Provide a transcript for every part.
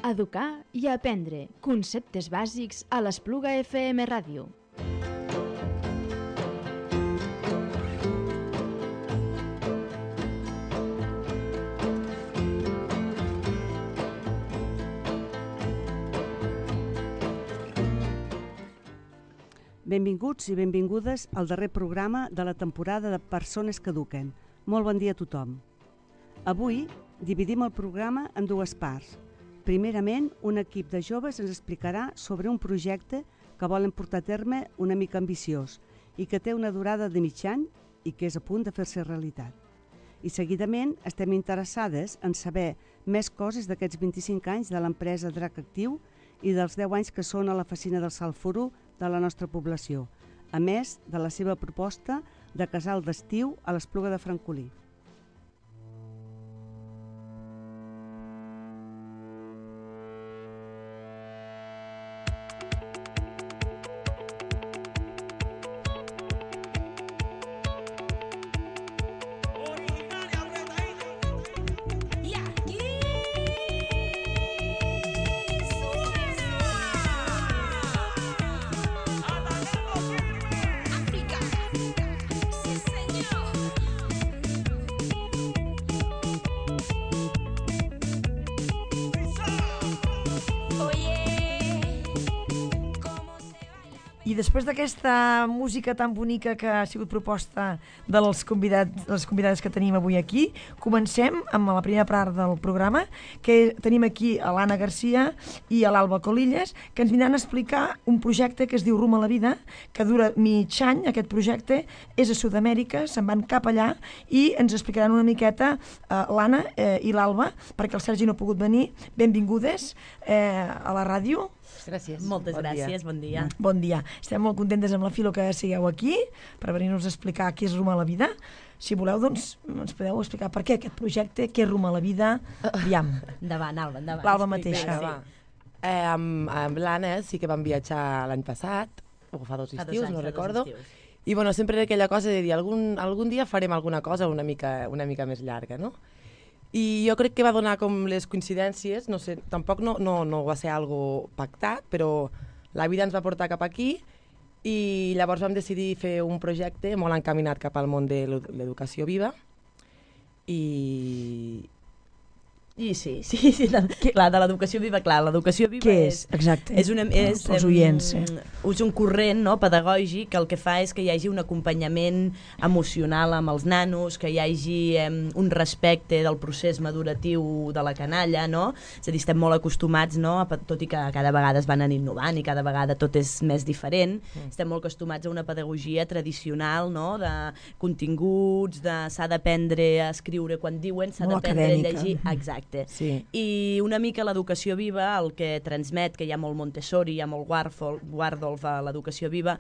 Educar i aprendre conceptes bàsics a l'Espluga FM Ràdio. Benvinguts i benvingudes al darrer programa de la temporada de Persones que Eduquen. Molt bon dia a tothom. Avui dividim el programa en dues parts. Primerament, un equip de joves ens explicarà sobre un projecte que volen portar a terme una mica ambiciós i que té una durada de mig any i que és a punt de fer-se realitat. I seguidament estem interessades en saber més coses d'aquests 25 anys de l'empresa Drac Actiu i dels 10 anys que són a la Fecina del Salforo de la nostra població, a més de la seva proposta de casal d'estiu a l'Espluga de Francolí. I després d'aquesta música tan bonica que ha sigut proposta de les convidades que tenim avui aquí, comencem amb la primera part del programa, que tenim aquí a l'Anna Garcia i a l'Alba Colillas, que ens vindran a explicar un projecte que es diu Rumb a la Vida, que dura mig any. Aquest projecte és a Sud-amèrica, se'n van cap allà i ens explicaran una miqueta l'Anna i l'Alba, perquè el Sergi no ha pogut venir. Benvingudes a la ràdio. Gràcies. Moltes gràcies, bon dia. Bon dia. Estem molt contentes amb la Filo que sigueu aquí per venir-nos a explicar què és Rumb a la Vida. Si voleu, doncs, ens podeu explicar per què aquest projecte, què és Rumb a la Vida. Aviam. Endavant, Alba, endavant. L'Alba mateixa. Amb l'Anna sí que vam viatjar l'any passat, o fa dos estius, no recordo. I bueno, sempre era aquella cosa de dir algun dia farem alguna cosa una mica més llarga, no? I jo crec que va donar com les coincidències, no sé, tampoc no va ser algo pactat, però la vida ens va portar cap aquí i llavors vam decidir fer un projecte molt encaminat cap al món de l'educació viva i sí, clar, de l'educació viva, clar, l'educació viva què és? Exacte, és els oients. És un corrent, no, pedagògic que el que fa és que hi hagi un acompanyament emocional amb els nanos, que hi hagi un respecte del procés maduratiu de la canalla, no? És a dir, estem molt acostumats, no, tot i que cada vegada es van innovant i cada vegada tot és més diferent, estem molt acostumats a una pedagogia tradicional, no, de continguts, s'ha d'aprendre a escriure quan diuen, s'ha d'aprendre a llegir, exacte. Sí. I una mica l'educació viva, el que transmet, que hi ha molt Montessori, hi ha molt Waldorf a l'educació viva,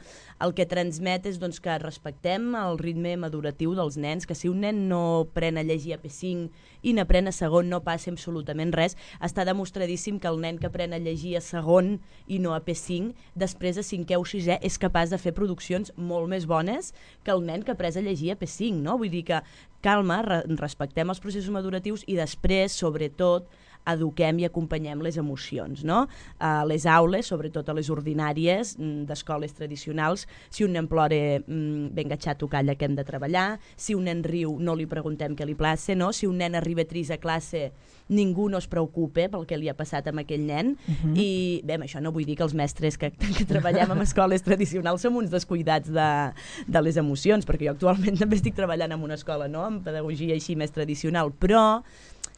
el que transmet és doncs, que respectem el ritme maduratiu dels nens, que si un nen no pren a llegir a P5 i n'aprèn a segon no passa absolutament res. Està demostradíssim que el nen que aprèn a llegir a segon i no a P5, després a 5è o 6è és capaç de fer produccions molt més bones que el nen que ha après a llegir a P5, no? Vull dir que calma, respectem els processos maduratius i després, sobretot, eduquem i acompanyem les emocions, no? A les aules, sobretot a les ordinàries d'escoles tradicionals, si un nen plora, venga xato, calla, que hem de treballar. Si un nen riu, no li preguntem què li plaça, no? Si un nen arriba trist a classe, ningú no es preocupa pel que li ha passat amb aquell nen. I bé, amb això no vull dir que els mestres que treballem en escoles tradicionals som uns descuidats de les emocions, perquè jo actualment també estic treballant en una escola, no?, amb pedagogia així més tradicional, però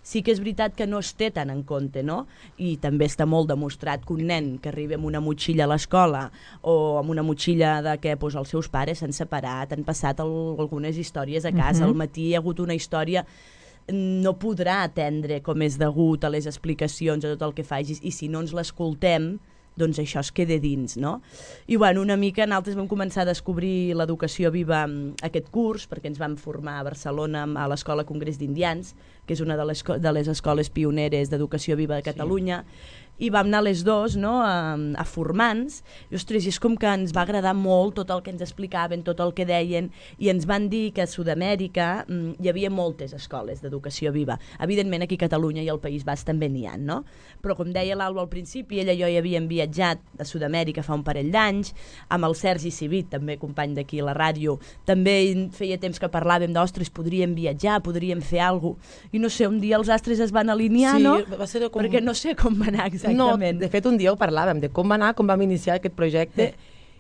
sí que és veritat que no es té tant en compte, no? I també està molt demostrat que un nen que arriba amb una motxilla a l'escola o amb una motxilla de què els seus pares s'han separat, han passat algunes històries a casa, al matí hi ha hagut una història, no podrà atendre com és degut a les explicacions, a tot el que facis, i si no ens l'escoltem, doncs això es queda dins, no? I bueno, una mica nosaltres vam començar a descobrir l'educació viva aquest curs, perquè ens vam formar a Barcelona a l'Escola Congrés d'Indians, que és una de les escoles pioneres d'educació viva de Catalunya, i vam anar les dos, no?, a formar-nos, i ostres, és com que ens va agradar molt tot el que ens explicaven, tot el que deien, i ens van dir que a Sud-amèrica hi havia moltes escoles d'educació viva. Evidentment aquí a Catalunya i al País Basc també n'hi ha, no? Però com deia l'Alba al principi, ella i jo hi havíem viatjat a Sud-amèrica fa un parell d'anys, amb el Sergi Civit, també company d'aquí a la ràdio, també feia temps que parlàvem d'ostres, podríem viatjar, podríem fer alguna cosa, i no sé, un dia els astres es van alinear, sí, no? Va ser com... Perquè no sé com va anar exactament. No, de fet un dia ho parlàvem, de com va anar, com vam iniciar aquest projecte,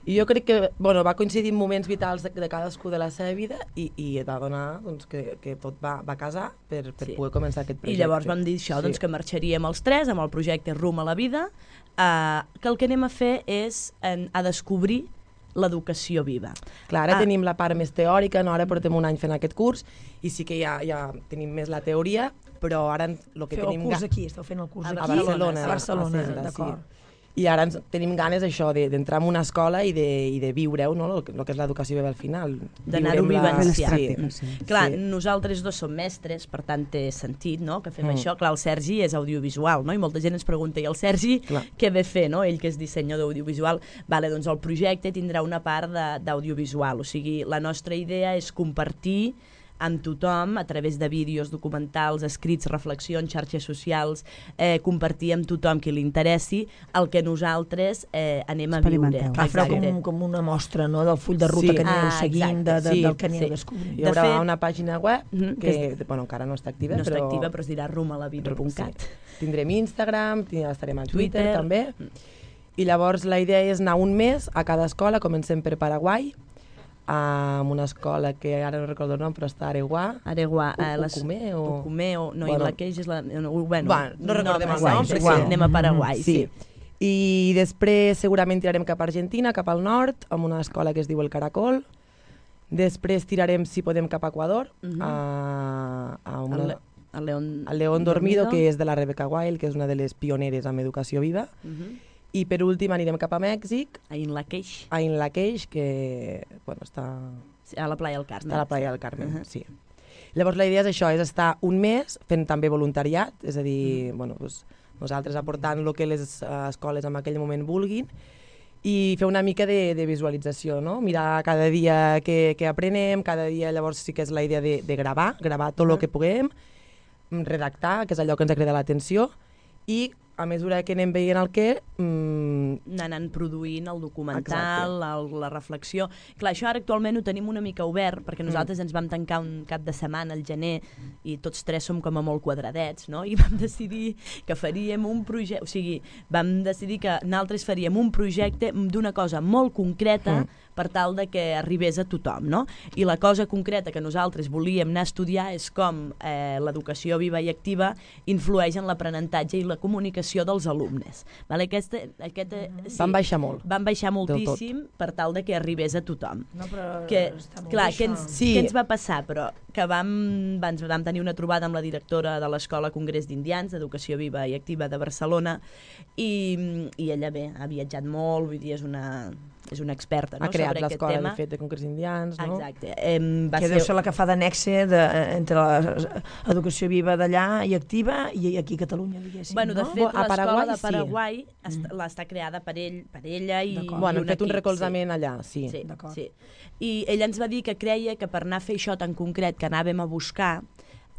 i jo crec que va coincidir en moments vitals de cadascú de la seva vida i va donar doncs, que tot va casar per poder començar aquest projecte. I llavors vam dir això, doncs, que marxaríem els tres amb el projecte Rum a la Vida, que el que anem a fer és a descobrir l'educació viva. Clar, ara tenim la part més teòrica, no? Ara portem un any fent aquest curs i sí que ja tenim més la teoria, però ara el que tenim... Feu el curs aquí, esteu fent el curs aquí? A Barcelona. A Barcelona, Centre, d'acord. Sí. I ara tenim ganes això d'entrar en una escola i de viure-ho, no? El que és l'educació viva al final. D'anar-ho vivenciar. Sí. Clar, nosaltres dos som mestres, per tant té sentit, no?, que fem això. Clar, el Sergi és audiovisual, no?, i molta gent ens pregunta, i el Sergi què ve fer, no?, ell que és dissenyador audiovisual. Vale, doncs el projecte tindrà una part d'audiovisual, o sigui, la nostra idea és compartir amb tothom, a través de vídeos, documentals, escrits, reflexions, xarxes socials, compartir amb tothom qui li interessi el que nosaltres anem a viure. Fareu com una mostra, no?, del full de ruta que aneu seguint, del que aneu descobrint. Hi haurà una pàgina web que encara no està activa, però es dirà rumalavida.cat. Tindrem Instagram, estarem a Twitter també, i llavors la idea és anar un mes a cada escola, comencem per Paraguai, amb una escola que ara no recordo el nom, però està a Areguà. Ucumeo, no, i la queix és la... Bueno, no recordem el nom, però sí, anem a Paraguai, sí. I després segurament tirarem cap a Argentina, cap al nord, amb una escola que es diu El Caracol. Després tirarem, si podem, cap a Equador, al León Dormido, que és de la Rebecca Wild, que és una de les pioneres en educació viva. I per últim anirem cap a Mèxic, a Inlaqueix, que està a la Playa del Carmen. A la Playa del Carmen, sí. Llavors la idea és això, és estar un mes fent també voluntariat, és a dir, nosaltres aportant el que les escoles en aquell moment vulguin, i fer una mica de visualització, no? Mirar cada dia què aprenem, cada dia llavors sí que és la idea de gravar tot el que puguem, redactar, que és allò que ens ha cridat l'atenció, i a mesura que anem veient el què... Anant produint el documental, la reflexió... Clar, això ara actualment ho tenim una mica obert, perquè nosaltres ens vam tancar un cap de setmana al gener i tots tres som com a molt quadradets, no? I vam decidir que faríem un projecte... O sigui, vam decidir que nosaltres faríem un projecte d'una cosa molt concreta per tal de que arribés a tothom, no? I la cosa concreta que nosaltres volíem anar a estudiar és com l'educació viva i activa influeix en l'aprenentatge i la comunicació dels alumnes. Vale? Van baixar molt. Van baixar moltíssim per tal de que arribés a tothom. No, però està molt bé, què ens va passar? Però que vam tenir una trobada amb la directora de l'Escola Congrés d'Indians d'Educació Viva i Activa de Barcelona i ella ha viatjat molt, vull dir, és una experta, no? Ha creat l'escola, de fet, de Congrés d'Indians, no? Exacte. Que deu ser la que fa de nexe entre l'educació viva d'allà i activa i aquí a Catalunya, diguéssim. Bueno, de fet, l'escola de Paraguai està creada per ella i... Bueno, hem fet un recolzament allà, sí. Sí. I ella ens va dir que creia que per anar a fer això tan concret que anàvem a buscar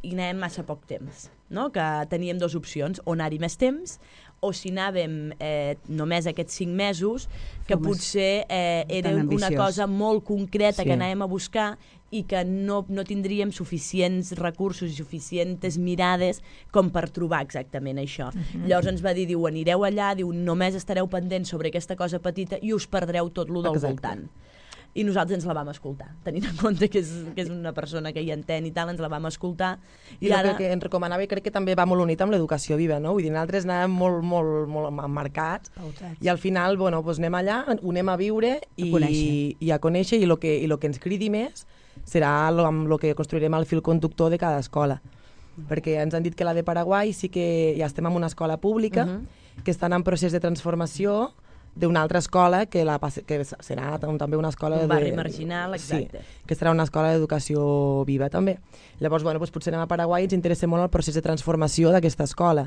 hi anàvem massa poc temps, no? Que teníem dues opcions, o anar-hi més temps o si anàvem només aquests 5 mesos, que potser era una cosa molt concreta que anàvem a buscar i que no tindríem suficients recursos i suficients mirades com per trobar exactament això. Llavors ens va dir, anireu allà, només estareu pendents sobre aquesta cosa petita i us perdreu tot lo del voltant. I nosaltres ens la vam escoltar, tenint en compte que és una persona que hi entén i tal, ens la vam escoltar. I ara... el que ens recomanava, i crec que també va molt unit amb l'educació viva, no? Vull dir, nosaltres anàvem molt emmarcats i al final, anem allà, ho anem a viure i a conèixer, i el que ens cridi més serà amb el que construirem el fil conductor de cada escola. Perquè ens han dit que la de Paraguai sí que ja estem en una escola pública, que estan en procés de transformació d'una altra escola que serà també una escola d'un barri marginal, exacte. Sí, que serà una escola d'educació viva també. Llavors, potser anem a Paraguai i ens interessa molt el procés de transformació d'aquesta escola,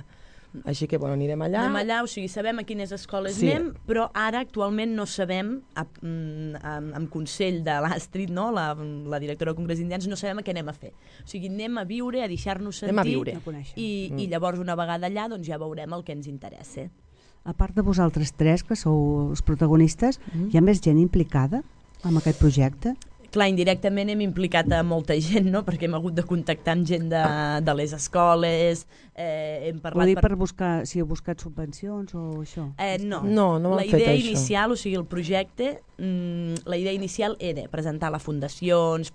Així que, bueno, anirem allà. Anem allà, o sigui, sabem a quines escoles Sí. anem, però ara actualment no sabem, amb consell de l'Astrid, no? la directora del Congrés d'Indians, no sabem a què anem a fer. O sigui, anem a viure, a deixar-nos Anem a sentir, viure. A conèixer. i llavors una vegada allà doncs ja veurem el que ens interessa. A part de vosaltres tres, que sou els protagonistes, hi ha més gent implicada en aquest projecte? Clar, indirectament hem implicat a molta gent, no? Perquè hem hagut de contactar amb gent de les escoles, hem Ho parlat... dic per buscar, si heu buscat subvencions o això? No No la hem fet idea això. inicial, o sigui, el projecte, la idea inicial era presentar la fundacions,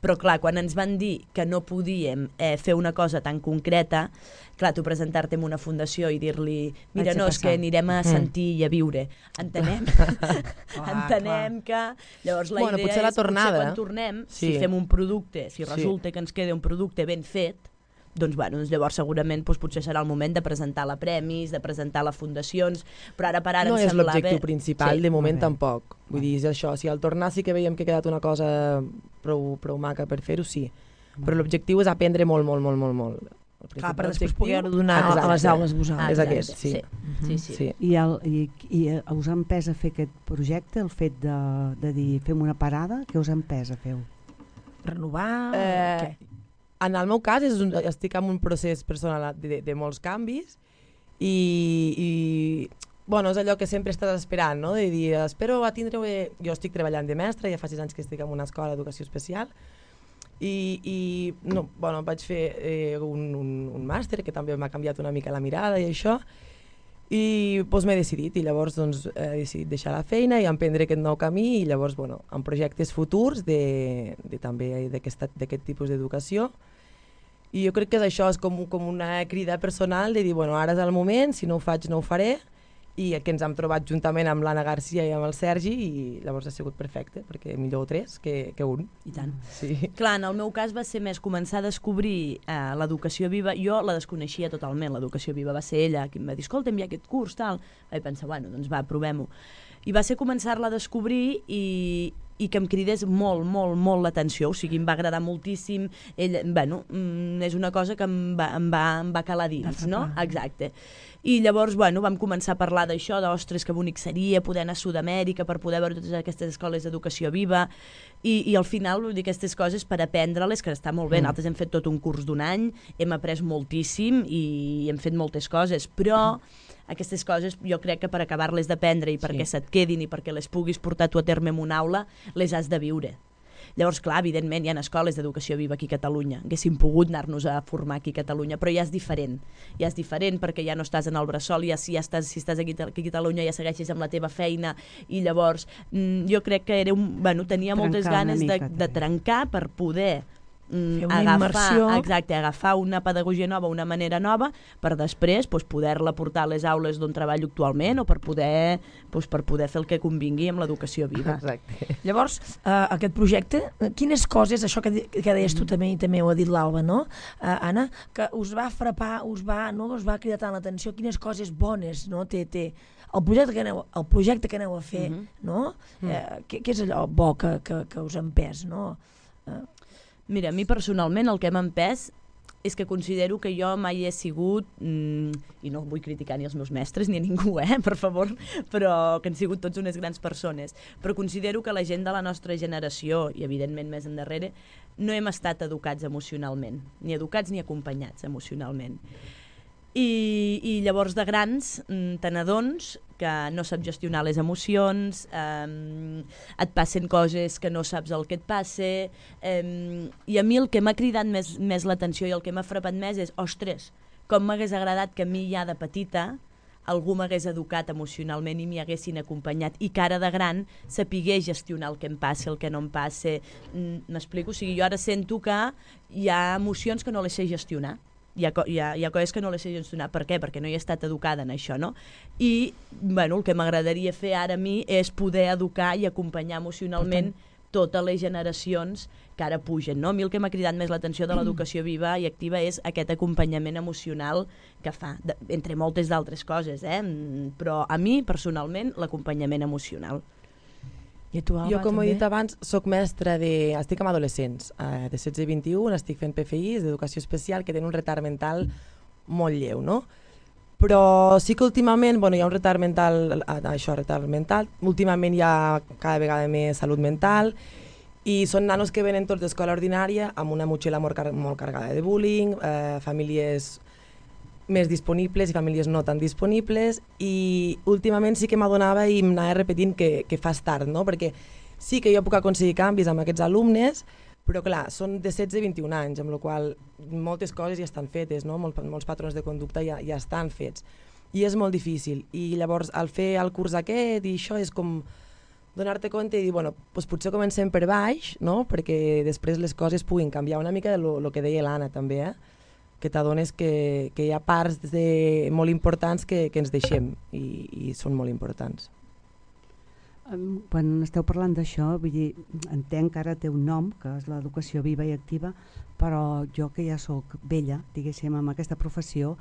però clar, quan ens van dir que no podíem fer una cosa tan concreta, clar, tu presentar-te en una fundació i dir-li, mira, Vaig a no, és passar. que anirem a sentir i a viure. Entenem, que llavors la Bueno, idea potser la és, tornada. quan tornem, Sí. si fem un producte, si Sí. resulta que ens queda un producte ben fet, doncs, bueno, llavors segurament potser serà el moment de presentar la premis, de presentar les fundacions, però ara per ara No em és semblava... l'objectiu principal, Sí. de moment Molt bé. tampoc. Vull dir, és això, si al tornar sí que veiem que ha quedat una cosa prou maca per fer-ho, sí. Però l'objectiu és aprendre molt. Clar, per després L'objectiu- poder-ho donar a les Exacte. aules vosaltres. És Exacte, aquest, sí. Sí. I us ha empès a fer aquest projecte, el fet de dir fem una parada, què us ha empès a fer-ho? Renovar... Eh, En el meu cas estic en un procés personal de molts canvis i bueno, és allò que sempre estàs esperant, no? De dir, espero a tindre... Jo estic treballant de mestra, ja fa 6 anys que estic en una escola d'educació especial i no, bueno, vaig fer un màster que també m'ha canviat una mica la mirada i això, i doncs m'he decidit, i llavors doncs, he decidit deixar la feina i emprendre aquest nou camí, i llavors bueno, en projectes futurs també d'aquest tipus d'educació. I jo crec que és això, és com una crida personal de dir, bueno, ara és el moment, si no ho faig no ho faré, i que ens hem trobat juntament amb l'Anna Garcia i amb el Sergi, i llavors ha sigut perfecte, perquè millor 3 que un. I tant. Sí. Clar, en el meu cas va ser més començar a descobrir l'educació viva. Jo la desconeixia totalment, l'educació viva. Va ser ella qui em va dir, escolta'm, hi ha aquest curs, tal. Vaig pensar, bueno, doncs va, provem-ho. I va ser començar-la a descobrir i que em cridés molt l'atenció, o sigui, em va agradar moltíssim. Bueno, és una cosa que em va calar dins, no? Exacte. I llavors, bueno, vam començar a parlar d'això, d'ostres, que bonic seria poder anar a Sud-amèrica per poder veure totes aquestes escoles d'educació viva, i al final, vull dir, aquestes coses per aprendre-les, que està molt bé. Nosaltres hem fet tot un curs d'1 any, hem après moltíssim i hem fet moltes coses, però aquestes coses jo crec que per acabar-les d'aprendre i perquè se't quedin i perquè les puguis portar tu a terme en una aula, les has de viure. Llavors, clar, evidentment, hi ha escoles d'educació viva aquí a Catalunya. Haguéssim pogut anar-nos a formar aquí a Catalunya, però ja és diferent. Ja és diferent perquè ja no estàs en el bressol, si estàs aquí a Catalunya ja segueixes amb la teva feina, i llavors jo crec que tenia moltes ganes de trencar per poder agafar una pedagogia nova, una manera nova, per després poder-la portar a les aules d'on treballo actualment o per poder fer el que convingui amb l'educació viva. Exacte. Llavors, aquest projecte, quines coses, això que deies tu també, i també ho ha dit l'Alba, no? Anna, que us va frapar, us va cridar tant l'atenció, quines coses bones, no? Té el projecte que aneu a fer, no? Què és allò bo que us ha empès, no? Mira, a mi personalment el que m'ha empès és que considero que jo mai he sigut, i no vull criticar ni els meus mestres ni a ningú, per favor, però que han sigut tots unes grans persones, però considero que la gent de la nostra generació, i evidentment més endarrere, no hem estat educats emocionalment, ni educats ni acompanyats emocionalment. I llavors de grans te n'adones que no saps gestionar les emocions, et passen coses que no saps el que et passa, i a mi el que m'ha cridat més l'atenció i el que m'ha frapat més és, ostres, com m'hagués agradat que a mi ja de petita algú m'hagués educat emocionalment i m'hi haguessin acompanyat, i que ara de gran sapigués gestionar el que em passa, el que no em passa. M'explico? O sigui, jo ara sento que hi ha emocions que no les sé gestionar. Hi ha coses que no les sé gestionar. Per què? Perquè no hi he estat educada en això, no? I, bueno, el que m'agradaria fer ara a mi és poder educar i acompanyar emocionalment totes les generacions que ara pugen, no? A mi el que m'ha cridat més l'atenció de l'educació viva i activa és aquest acompanyament emocional que fa, entre moltes d'altres coses, però a mi, personalment, l'acompanyament emocional. I tu, Alba, jo, com també? he dit abans, soc mestra estic amb adolescents, de 16 i 21, estic fent PFIs d'educació especial que tenen un retard mental molt lleu, no? Però sí que últimament hi ha un retard mental, últimament hi ha cada vegada més salut mental, i són nanos que venen tots d'escola ordinària amb una motxilla molt carregada de bullying, famílies més disponibles i famílies no tan disponibles, i últimament sí que m'adonava i m'anava repetint que fas tard, no? Perquè sí que jo puc aconseguir canvis amb aquests alumnes, però clar, són de 16 i 21 anys, amb la qual moltes coses ja estan fetes, no? Molts patrons de conducta ja estan fets, i és molt difícil. I llavors, al fer el curs aquest i això, és com donar-te compte i dir, bueno, doncs potser comencem per baix, no? Perquè després les coses puguin canviar una mica del que deia l'Anna també, que t'adones que hi ha parts molt importants que ens deixem i són molt importants. Quan esteu parlant d'això, vull dir, entenc que ara té un nom, que és l'educació viva i activa, però jo que ja sóc vella, diguéssim, amb aquesta professió,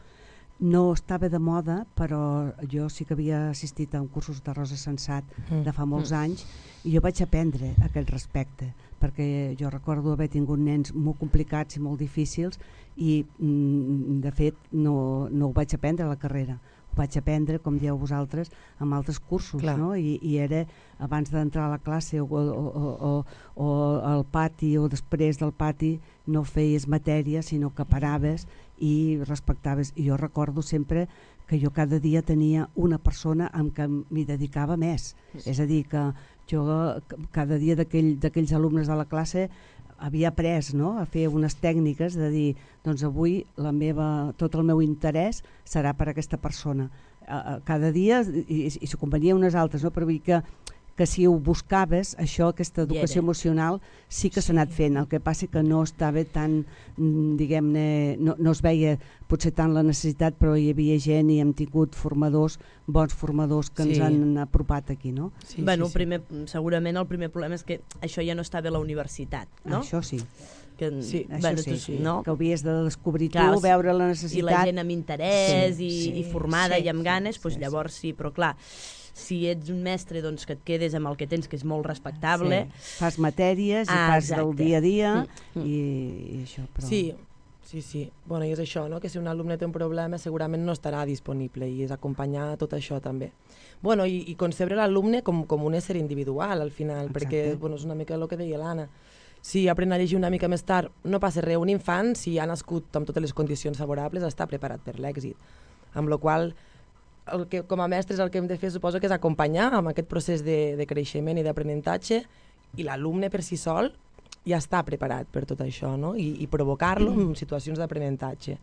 no estava de moda, però jo sí que havia assistit a un cursos de Rosa Sensat de fa molts anys, i jo vaig aprendre aquest respecte, perquè jo recordo haver tingut nens molt complicats i molt difícils, i de fet no ho vaig aprendre a la carrera. Ho vaig aprendre, com dieu vosaltres, amb altres cursos, no? I era abans d'entrar a la classe o al pati o després del pati no feies matèria, sinó que paraves i respectaves. I jo recordo sempre que jo cada dia tenia una persona amb què m'hi dedicava més. És a dir, que jo cada dia d'aquells alumnes de la classe havia après, no?, a fer unes tècniques de dir, doncs avui tot el meu interès serà per a aquesta persona. Cada dia, i s'ho convenia unes altres, no?, però vull dir que si ho buscaves, això, aquesta educació emocional, sí que s'ha anat fent. El que passa que no estava tan, diguem-ne, no es veia potser tant la necessitat, però hi havia gent i hem tingut bons formadors que ens han apropat aquí, no? Bueno, segurament el primer problema és que això ja no estava a la universitat, no? Això sí. Això sí, no? Que havies de descobrir tu, veure la necessitat. I la gent amb interès i formada i amb ganes, doncs llavors sí, però clar, si ets un mestre doncs que et quedes amb el que tens, que és molt respectable. Fas matèries i fas del dia a dia i això. Però... Sí. Bueno, i és això, no? Que si un alumne té un problema segurament no estarà disponible i és acompanyar tot això també. Bueno, i concebre l'alumne com un ésser individual al final, perquè és una mica el que deia l'Anna. Si aprèn a llegir una mica més tard, no passa res. Un infant, si ha nascut amb totes les condicions favorables, està preparat per l'èxit. Amb la qual com a mestres el que hem de fer suposo que és acompanyar amb aquest procés de creixement i d'aprenentatge, i l'alumne per si sol ja està preparat per tot això, no? I provocar-lo en situacions d'aprenentatge.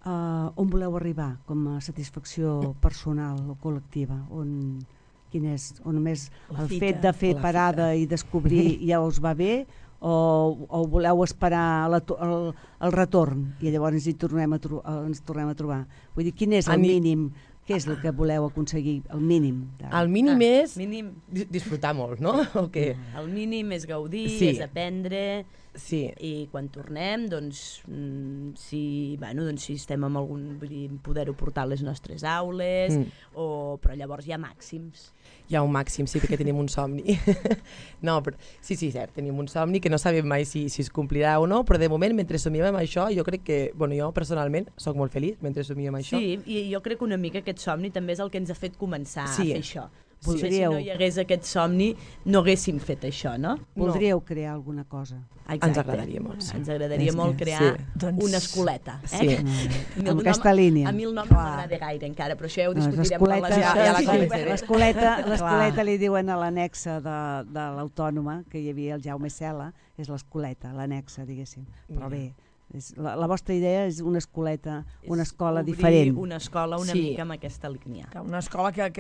On voleu arribar com a satisfacció personal o col·lectiva? On només el fet de fer parada i descobrir ja us va bé, o voleu esperar el retorn i llavors ens tornem a trobar? Vull dir, quin és el mínim? Què és el que voleu aconseguir, el mínim? El mínim és disfrutar molt, no? El mínim és gaudir, és aprendre, i quan tornem, doncs, si estem amb algun, poder-ho portar a les nostres aules, però llavors hi ha màxims. Hi ha un màxim, sí, perquè tenim un somni. No, però sí, cert, tenim un somni que no sabem mai si es complirà o no, però de moment, mentre somiem amb això, jo crec que, jo personalment soc molt feliç mentre somiem amb això. Sí, i jo crec que una mica aquest somni també és el que ens ha fet començar a fer això. Potser si no hi hagués aquest somni no haguem fet això, no? Voldríeu crear alguna cosa? Ens agradaria molt. Ens agradaria molt crear una escoleta. Amb aquesta línia. A mi el nom no m'agrada gaire encara, però això ja ho discutirem. L'escoleta li diuen a l'anexa de l'Autònoma, que hi havia el Jaume Cela, és l'escoleta, l'anexa, diguéssim. Però bé, la vostra idea és una escoleta, una escola diferent. Una escola una mica amb aquesta línia. Una escola que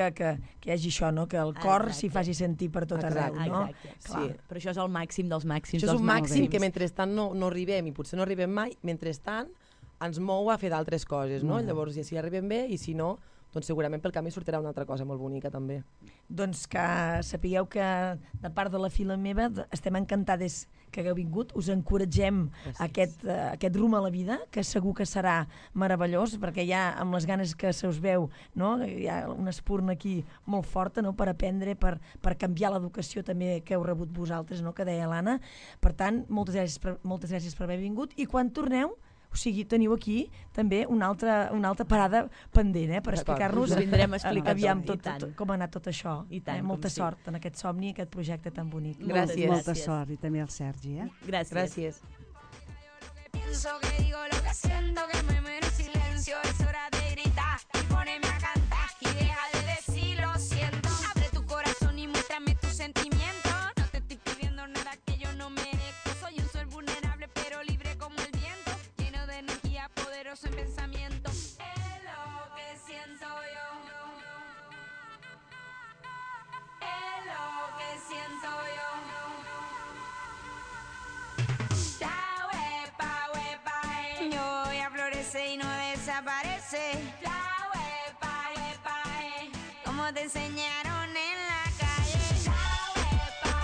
hi hagi això, no? Que el cor s'hi faci sentir per tot arreu, no? Exacte. Però això és el màxim dels màxims. Això és un màxim que mentrestant no arribem, i potser no arribem mai, mentrestant ens mou a fer d'altres coses, no? Llavors, si arribem bé, i si no, doncs segurament pel camí sortirà una altra cosa molt bonica també. Doncs que sapigueu que de part de la fila meva estem encantades que hagueu vingut, us encoratgem aquest rumb a la vida, que segur que serà meravellós, perquè ja amb les ganes que se us veu, no? Hi ha una espurna aquí molt forta, no? Per aprendre, per canviar l'educació també que heu rebut vosaltres, no? Que deia l'Anna. Per tant, moltes gràcies per haver vingut, i quan torneu O sigui, teniu aquí també una altra parada pendent, per explicar-nos vindrem a explicar aviam tot, com ha anat tot això. I tant, molta sort en aquest somni, aquest projecte tan bonic. Gràcies. Molta sort, i també al Sergi. Gràcies. Pienso que digo lo que siento, que me muero en silencio. Es hora de gritar y ponerme a cantar y deja de decir lo siento. Abre tu corazón y muéstrame tus sentimientos. No te estoy pidiendo nada que yo no merezco. Soy un ser vulnerable pero libre como el viento, lleno de energía, poderoso en pensamiento. Es lo que siento yo. Es lo que siento yo. Yo voy a florecer y no desaparece. La huepa, como te enseñaron en la calle. La huepa,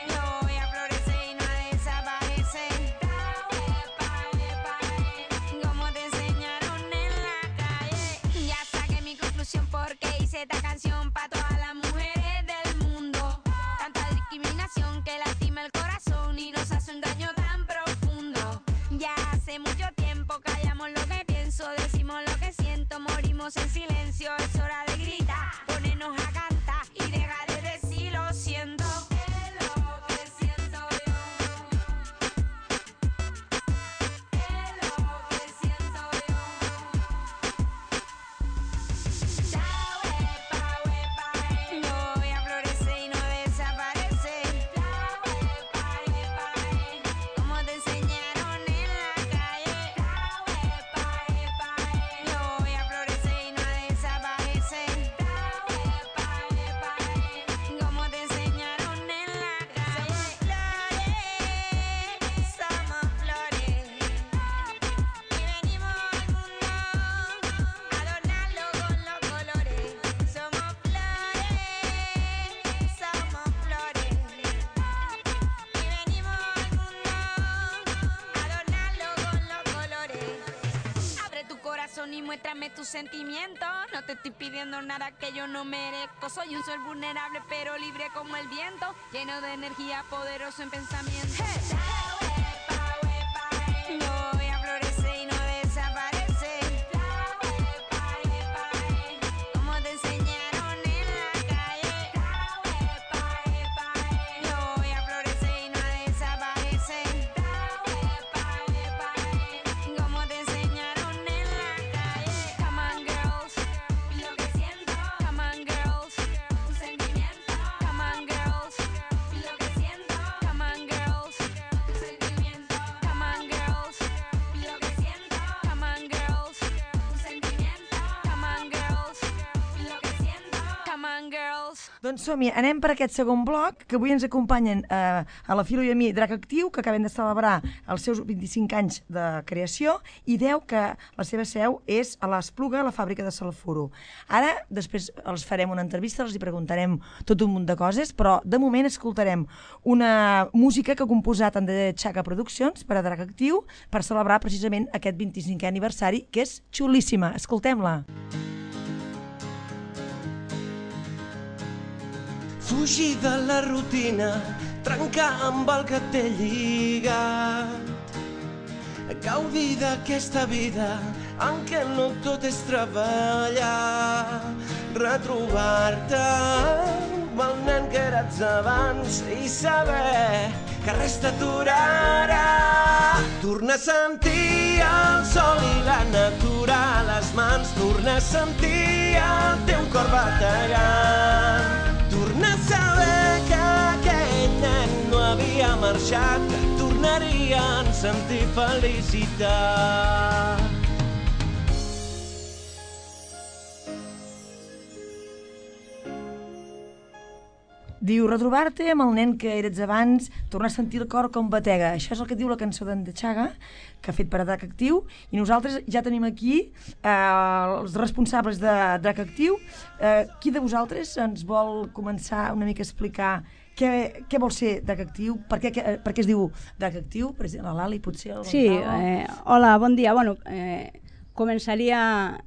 yo voy a florecer y no desaparece. La huepa, como te enseñaron en la calle. Ya saqué mi conclusión porque hice esta canción para todas las mujeres del mundo. Tanta discriminación que lastima el corazón y nos hace un daño tan profundo. Ya hace mucho tiempo callamos lo que pienso, decimos lo que siento, morimos en silencio. Es hora de gritar, ponernos a cantar y dejar de decir lo siento. Es lo que siento yo. Es lo que siento yo. La huepa, yo voy a florecer y no desaparece. La huepa, como te enseñaron en la calle. La huepa, yo voy a florecer y no desaparece. La huepa, como te enseñaron en la calle. Flores, somos flores y venimos al mundo a adornarlo con los colores. Somos flores, somos flores y venimos al mundo a adornarlo con los colores. Abre tu corazón y muéstrame tus sentimientos. No te estoy pidiendo nada que yo no merezco. Soy un ser vulnerable pero libre como el viento, lleno de energía, poderoso en pensamiento. Yo voy a florecer y no desaparece. La huepa, como te enseñaron en la calle. La huepa, yo voy a florecer y no desaparece. La huepa, como te enseñaron en la calle. Come on girls, lo que siento. Come on girls, un sentimiento. Come on girls, lo que siento. Come on girls, un sentimiento. Come on girls, lo que siento. Come on girls, un sentimiento. Come on girls, lo que siento. Come on girls. Doncs som-hi, anem per aquest segon bloc, que avui ens acompanyen a la Filo i a mi Drac Actiu, que acaben de celebrar els seus 25 anys de creació, i 10 que la seva seu és a l'Espluga, a la fàbrica de Salfuro. Ara, després els farem una entrevista, els hi preguntarem tot un munt de coses, però de moment escoltarem una música que ha composat André Chaca Produccions per a Drac Actiu per celebrar precisament aquest 25è aniversari, que és xulíssima. Escoltem-la. Fugir de la rutina, trencar amb el que t'he lligat, gaudir d'aquesta vida en què no tot és treballar, retrobar-te amb el nen que eres abans i saber que res t'aturarà. Tornar a sentir el sol i la natura a les mans, tornar a sentir el teu cor bategant, tornar a saber que aquell nen no havia marxat, que tornarien a sentir felicitat. Diu, retrobar-te amb el nen que eres abans, tornar a sentir el cor com batega. Això és el que diu la cançó d'en De Chaga, que ha fet per a Drac Actiu, i nosaltres ja tenim aquí els responsables de Drac Actiu. Qui de vosaltres ens vol començar una mica a explicar què vol ser Drac Actiu, per què es diu Drac Actiu? Per exemple, la Lali, potser? Sí, hola, bon dia. Bueno, començaria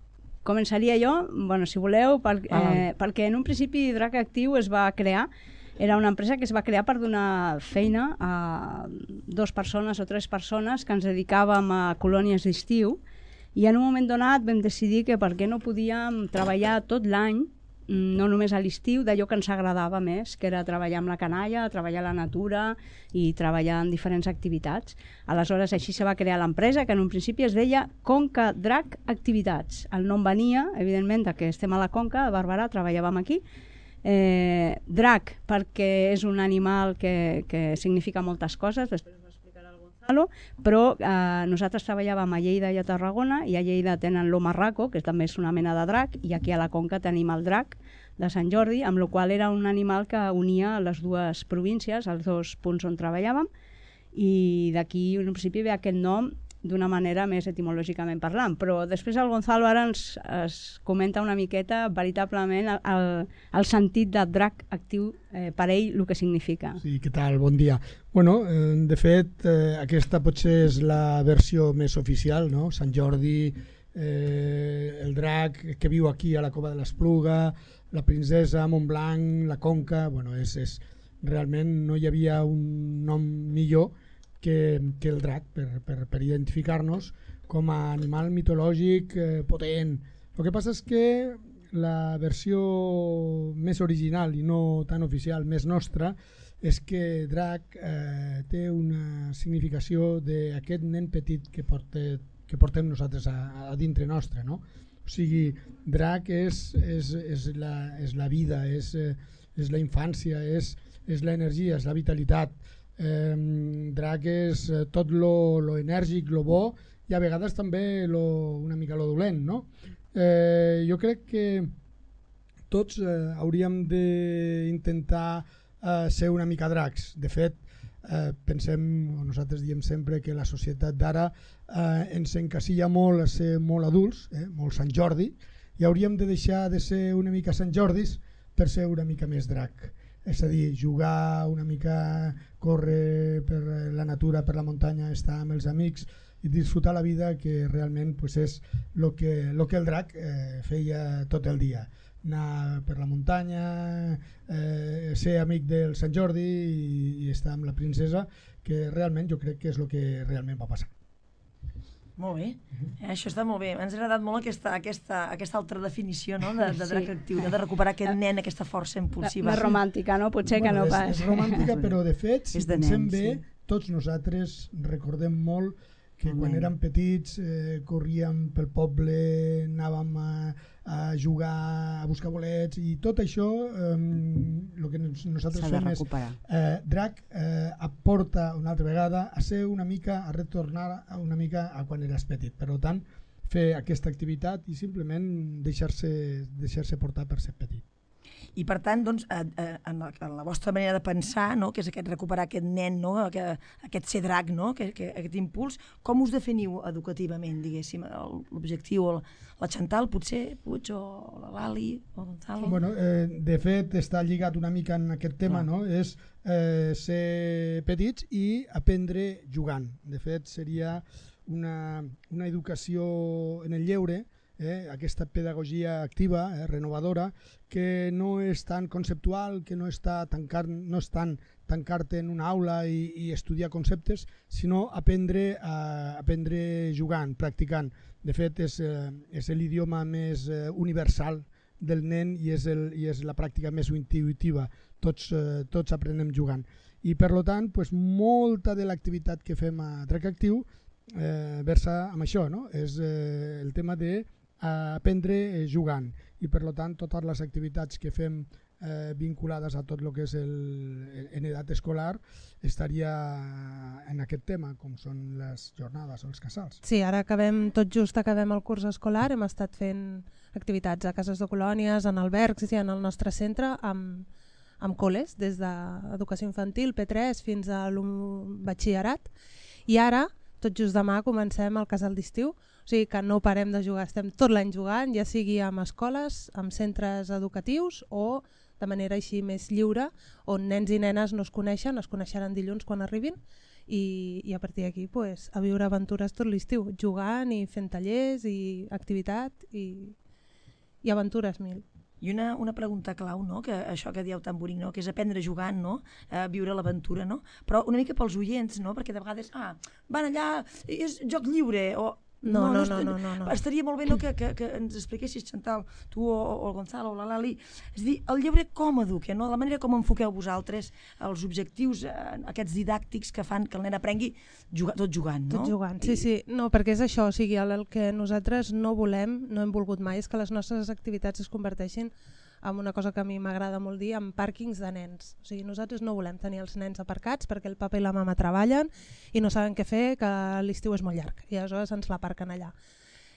jo, bueno, si voleu, perquè en un principi Drac Actiu es va crear Era una empresa que es va crear per donar feina a 2 persones o 3 persones que ens dedicàvem a colònies d'estiu, i en un moment donat vam decidir que per què no podíem treballar tot l'any, no només a l'estiu, d'allò que ens agradava més, que era treballar amb la canalla, treballar a la natura i treballar en diferents activitats. Aleshores, així se va crear l'empresa, que en un principi es deia Conca Drac Activitats. El nom venia, evidentment, que estem a la Conca, a Barberà, treballàvem aquí. Drac, perquè és un animal que significa moltes coses, després ho explicarà el Gonzalo, però nosaltres treballàvem a Lleida i a Tarragona, i a Lleida tenen l'Omarraco, que també és una mena de drac, i aquí a la Conca tenim el drac de Sant Jordi, amb la qual era un animal que unia les dues províncies, els 2 punts on treballàvem, i d'aquí en principi ve aquest nom d'una manera més etimològicament parlant, però després el Gonzalo ara ens comenta una miqueta veritablement el sentit de drac actiu per ell, el que significa. Sí, què tal? Bon dia. Bueno, de fet, aquesta potser és la versió més oficial, no? Sant Jordi, el drac que viu aquí a la Cova de l'Espluga, la princesa, Montblanc, la Conca, bueno, realment no hi havia un nom millor que el drac per identificar-nos com a animal mitològic potent. El que passa és que la versió més original i no tan oficial, més nostra, és que drac té una significació d'aquest nen petit que portem nosaltres a dintre nostre, no? O sigui, drac és la vida, és la infància, és l'energia, és la vitalitat. Drac és tot lo enèrgic, lo bo, i a vegades també una mica lo dolent, no? Jo crec que tots hauríem d'intentar ser una mica dracs. De fet, nosaltres diem sempre que la societat d'ara ens encasilla molt a ser molt adults, molt Sant Jordi, i hauríem de deixar de ser una mica Sant Jordis per ser una mica més drac. És a dir, jugar una mica, córrer per la natura, per la muntanya, estar amb els amics i disfrutar la vida, que realment pues, és el que el drac feia tot el dia. Anar per la muntanya, ser amic del Sant Jordi i estar amb la princesa, que realment jo crec que és el que realment va passar. Molt bé, això està molt bé. Ens ha agradat molt aquesta altra definició, no? de drac actiu, de recuperar aquest nen, aquesta força impulsiva. Més romàntica, no? Potser que no pas. És romàntica, però de fet, si pensem bé, tots nosaltres recordem molt que quan érem petits corríem pel poble, anàvem a jugar, a buscar bolets, i tot això el que nosaltres fem és drac aporta una altra vegada a ser una mica, a retornar una mica a quan eres petit. Per tant, fer aquesta activitat i simplement deixar-se portar per ser petit. I per tant, doncs, en la vostra manera de pensar, no? Que és recuperar aquest nen, no? Aquest ser drac, no? Aquest impuls, com us definiu educativament, diguéssim, l'objectiu? La Chantal, potser, Puig, o la Lali, o Gonzalo? Bueno, de fet, està lligat una mica en aquest tema, no? És ser petits i aprendre jugant. De fet, seria una educació en el lleure, aquesta pedagogia activa, renovadora, que no és tan conceptual, que no és tant tancar-te en una aula i estudiar conceptes, sinó aprendre jugant, practicant. De fet, és l'idioma més universal del nen i és la pràctica més intuïtiva. Tots aprenem jugant. I per tant, molta de l'activitat que fem a Drac Actiu versa amb això, no? És el tema d'aprendre jugant, i per tant totes les activitats que fem vinculades a tot el que és en edat escolar estaria en aquest tema, com són les jornades o els casals. Sí, ara tot just acabem el curs escolar, hem estat fent activitats a cases de colònies, en albergs i en el nostre centre amb col·les, des d'educació infantil, P3 fins a batxillerat, i ara tot just demà comencem el casal d'estiu, o sigui que no parem de jugar, estem tot l'any jugant, ja sigui amb escoles, amb centres educatius o de manera així més lliure, on nens i nenes no es coneixeran dilluns quan arribin, i a partir d'aquí a viure aventures tot l'estiu, jugant i fent tallers i activitat i aventures mil. I una pregunta clau, no? Que això que dieu tan bonic, no? Que és aprendre jugant, no? Viure l'aventura, no? Però una mica pels oients, no? Perquè de vegades, van allà, és joc lliure, o... No. Estaria molt bé, no, que ens expliquessis, Chantal, tu o el Gonzalo o la Lali, és a dir, el lleure com educa, no? La manera com enfoqueu vosaltres els objectius, aquests didàctics que fan que el nen aprengui tot jugant, no? Tot jugant, sí. No, perquè és això, o sigui, el que nosaltres no volem, no hem volgut mai, és que les nostres activitats es converteixin en una cosa que a mi m'agrada molt dir, en pàrquings de nens. O sigui, nosaltres no volem tenir els nens aparcats perquè el papa i la mama treballen i no saben què fer, que l'estiu és molt llarg i aleshores ens l'aparquen allà.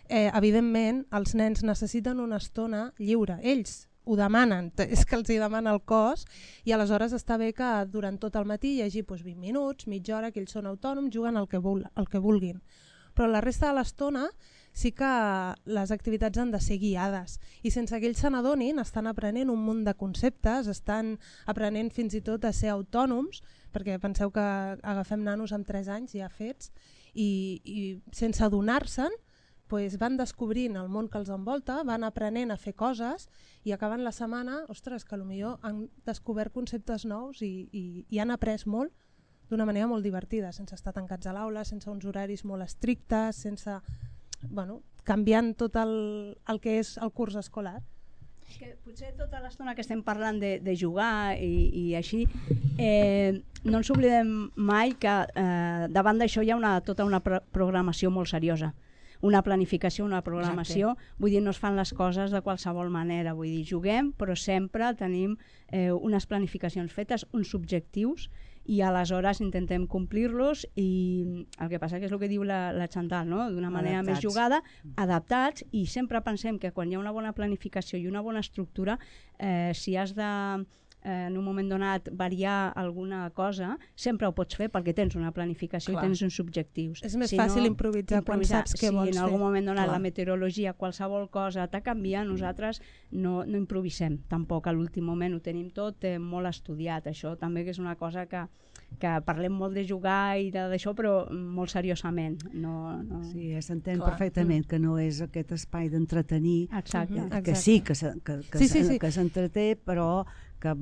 Evidentment, els nens necessiten una estona lliure. Ells ho demanen, és que els hi demana el cos i aleshores està bé que durant tot el matí hi hagi 20 minuts, mitja hora, que ells són autònoms, juguen el que vulguin. Però la resta de l'estona sí que les activitats han de ser guiades i sense que ells se n'adonin estan aprenent un munt de conceptes, estan aprenent fins i tot a ser autònoms, perquè penseu que agafem nanos amb 3 anys ja fets i sense adonar-se'n van descobrint el món que els envolta, van aprenent a fer coses i acaben la setmana, ostres, que potser han descobert conceptes nous i han après molt d'una manera molt divertida, sense estar tancats a l'aula, sense uns horaris molt estrictes, canviant tot el que és el curs escolar. És que potser tota l'estona que estem parlant de jugar i així, no ens oblidem mai que davant d'això hi ha tota una programació molt seriosa. Una planificació, una programació. Exacte. Vull dir, no es fan les coses de qualsevol manera. Vull dir, juguem, però sempre tenim unes planificacions fetes, uns objectius, i aleshores intentem complir-los i el que passa que és el que diu la Chantal, no? D'una manera més jugada, adaptats, i sempre pensem que quan hi ha una bona planificació i una bona estructura, si has de en un moment donat variar alguna cosa, sempre ho pots fer perquè tens una planificació i tens uns objectius. És més fàcil improvisar quan saps què vols fer. Si en algun moment donat la meteorologia, qualsevol cosa t'ha canviat, nosaltres no improvisem tampoc a l'últim moment, ho tenim tot molt estudiat. Això també que és una cosa que parlem molt de jugar i d'això, però molt seriosament. Sí, s'entén perfectament que no és aquest espai d'entretenir, que sí, que s'entreté, però que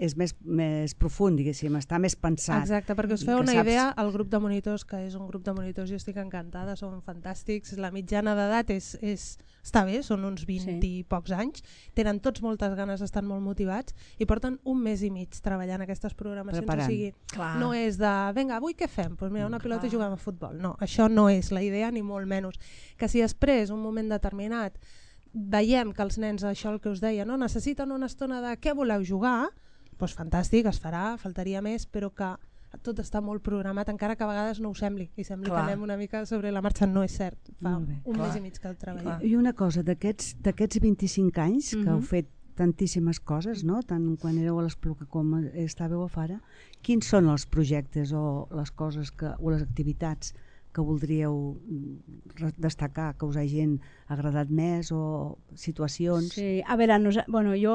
és més profund, diguéssim, està més pensat. Exacte, perquè us feu una idea, el grup de monitors, que és un grup de monitors, jo estic encantada, són fantàstics, la mitjana d'edat està bé, són uns 20 i pocs anys, tenen tots moltes ganes, estan molt motivats i porten 1 mes i mig treballant aquestes programacions. Preparant. O sigui, no és de, vinga, avui què fem? Doncs mira, una pilota i juguem a futbol. No, això no és la idea, ni molt menys. Que si després, un moment determinat, veiem que els nens, això el que us deia, no? Necessiten una estona de què voleu jugar, doncs fantàstic, es farà, faltaria més, però que tot està molt programat, encara que a vegades no ho sembli, i sembli que anem una mica sobre la marxa, no és cert, fa un mes i mig que el treballem. I una cosa, d'aquests 25 anys que heu fet tantíssimes coses, no? Tant quan éreu a l'Espluga com estàveu a Fara, quins són els projectes o les coses o les activitats que voldríeu destacar, que us hagin agradat més, o situacions? Sí, a veure, jo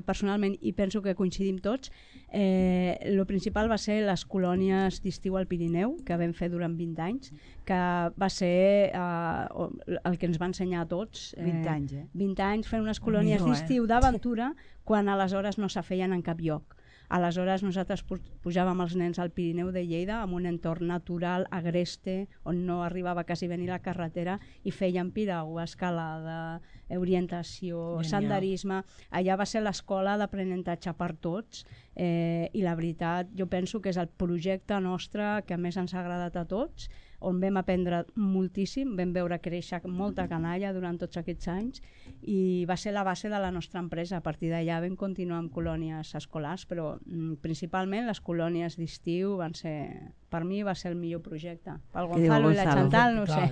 personalment, i penso que coincidim tots, el principal va ser les colònies d'estiu al Pirineu, que vam fer durant 20 anys, que va ser el que ens va ensenyar a tots. 20 anys, 20 anys fent unes colònies d'estiu d'aventura, quan aleshores no se feien en cap lloc. Aleshores nosaltres pujàvem els nens al Pirineu de Lleida amb un entorn natural, agreste, on no arribava quasi a venir la carretera, i fèiem piragua, escalada, orientació, senderisme. Allà va ser l'escola d'aprenentatge per tots, i la veritat jo penso que és el projecte nostre que més ens ha agradat a tots, on vam aprendre moltíssim, vam veure créixer molta canalla durant tots aquests anys, i va ser la base de la nostra empresa. A partir d'allà vam continuar amb colònies escolars, però principalment les colònies d'estiu van ser, per mi va ser el millor projecte. Pel Gonzalo i la Chantal, no ho sé.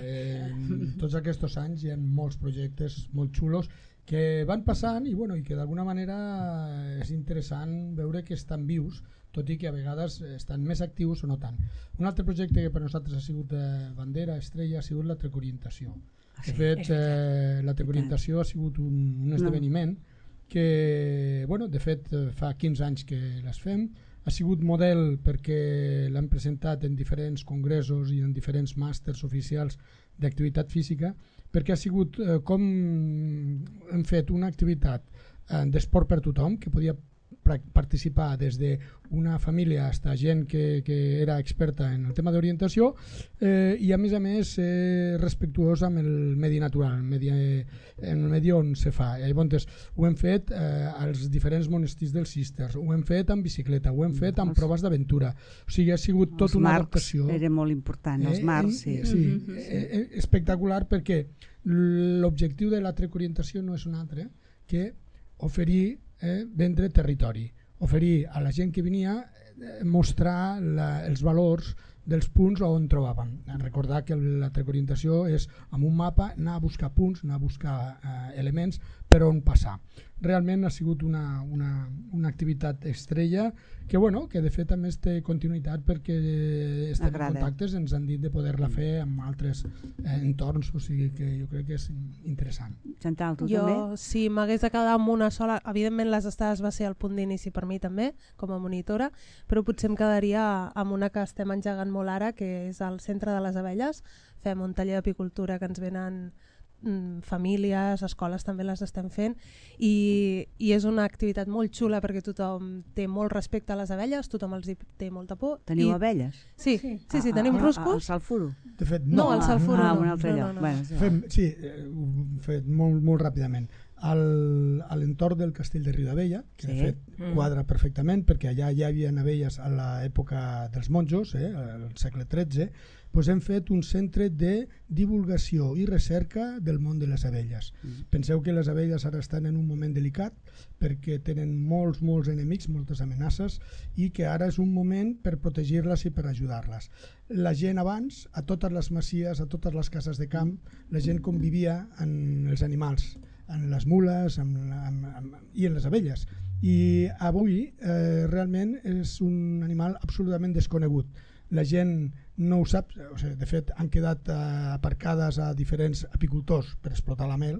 Tots aquests anys hi ha molts projectes molt xulos que van passant i que d'alguna manera és interessant veure que estan vius, tot i que a vegades estan més actius o no tant. Un altre projecte que per nosaltres ha sigut bandera, estrella, ha sigut la Trecorientació. De fet, la Trecorientació ha sigut un esdeveniment que, de fet, fa 15 anys que les fem. Ha sigut model perquè l'han presentat en diferents congressos i en diferents màsters oficials d'activitat física, perquè ha sigut com hem fet una activitat d'esport per tothom, que podia participar des d'una família fins a gent que era experta en el tema d'orientació i a més respectuós amb el medi natural, en el medi on se fa. Llavors ho hem fet als diferents monestirs dels Císters, ho hem fet amb bicicleta, ho hem fet amb proves d'aventura, o sigui, ha sigut tot una adaptació. Els marcs era molt important, els marcs, sí. Sí, espectacular, perquè l'objectiu de la Trek Orientació no és un altre que oferir vendre territori, oferir a la gent que venia mostrar els valors dels punts on trobàvem. Recordar que la Trek Orientació és amb un mapa anar a buscar punts, anar a buscar elements per on passar. Realment ha sigut una activitat estrella que de fet a més té continuïtat perquè estem en contactes, ens han dit de poder-la fer amb altres entorns, o sigui que jo crec que és interessant. Chantal, tu també? Jo, si m'hagués de quedar amb una sola, evidentment les estades va ser el punt d'inici per mi també, com a monitora, però potser em quedaria amb una que estem engegant molt ara, que és el Centre de les Abelles. Fem un taller d'apicultura que ens venen famílies, escoles també les estem fent i és una activitat molt xula perquè tothom té molt respecte a les abelles, tothom els té molta por. Teniu abelles? Sí, tenim ruscos. El salfuro? De fet, no, el salfuro no. Un altre lloc. Sí, ho hem fet molt ràpidament. A l'entorn del castell de Riudabella, que de fet quadra perfectament perquè allà ja hi havia abelles a l'època dels monjos, al segle XIII, doncs hem fet un centre de divulgació i recerca del món de les abelles. Penseu que les abelles ara estan en un moment delicat perquè tenen molts enemics, moltes amenaces, i que ara és un moment per protegir-les i per ajudar-les. La gent abans, a totes les masies, a totes les cases de camp, la gent convivia amb els animals, en les mules i en les abelles. I avui realment és un animal absolutament desconegut. La gent no ho sap, de fet han quedat aparcades a diferents apicultors per explotar la mel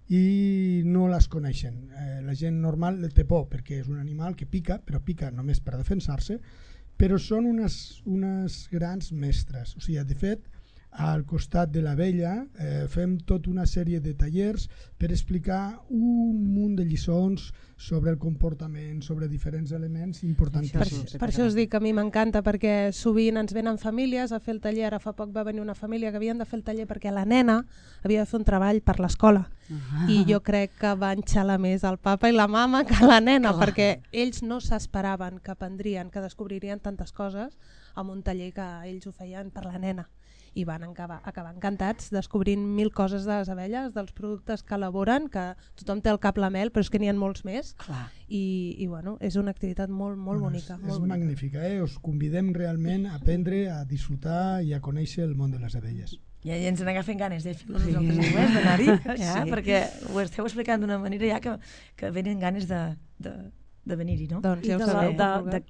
i no les coneixen. La gent normal té por perquè és un animal que pica, però pica només per defensar-se, però són unes grans mestres. O sigui, de fet, al costat de l'abella fem tota una sèrie de tallers per explicar un munt de lliçons sobre el comportament, sobre diferents elements importantíssims. Per això us dic que a mi m'encanta, perquè sovint ens venen famílies a fer el taller. Ara fa poc va venir una família que havien de fer el taller perquè la nena havia de fer un treball per l'escola i jo crec que van xalar més el papa i la mama que la nena, perquè ells no s'esperaven que aprendrien, que descobririen tantes coses amb un taller que ells ho feien per la nena. I van acabar encantats descobrint 1000 coses de les abelles, dels productes que elaboren, que tothom té al cap la mel, però és que n'hi ha molts més. I bueno, és una activitat molt bonica. És magnífica, us convidem realment a aprendre, a disfrutar i a conèixer el món de les abelles. Ja ens n'agafen ganes de fer nosaltres d'anar-hi, perquè ho esteu explicant d'una manera ja que venen ganes de venir-hi, no? Doncs ja ho sabeu.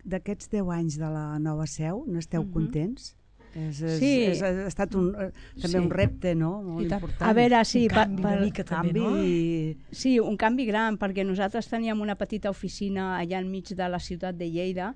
D'aquests 10 anys de la nova seu, n'esteu contents? Ha estat també un repte, no? Molt important. A veure, sí, sí, un canvi gran, perquè nosaltres teníem una petita oficina allà enmig de la ciutat de Lleida